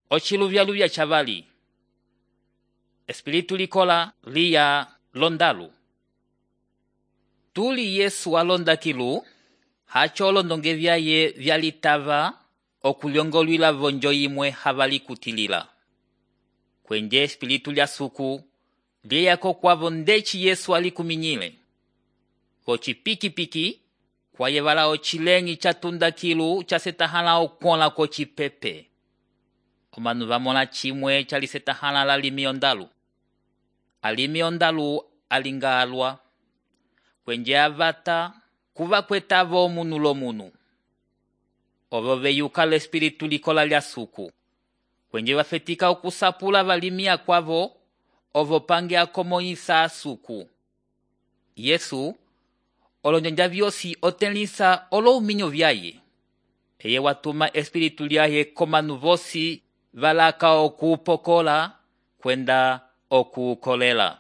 Ociluvya-luvya chavali. Espiritu likola liya londalu. Tuli Yesu alonda kilu, hacho olondonge vyaye vyalitava okulyongolwila vonjo imwe havali kutilila. Kwenje espiritu lya suku, liyako kwavo ndeci Yesu alikuminyile. Ocipiki-piki, kwayevala ocilengi chatunda kilu chasetahala okuola kocipepe. Omanu vamona chimwe chalisetahala lalimi ondalu. Alimi ondalu alinga alwa. Kwenje avata, kuva kwetavo omunu lomunu. Ovo veyuka l'espiritu likola lya suku. Kwenje vafetika okusapula valimi akwavo, ovo pange akomoyisa asuku. Yesu, olonjanja vyosi otelisa olo uminyo vyaye. Eye watuma espiritu lyaye komanu vosi valaka okuupokola kwenda okuukolela.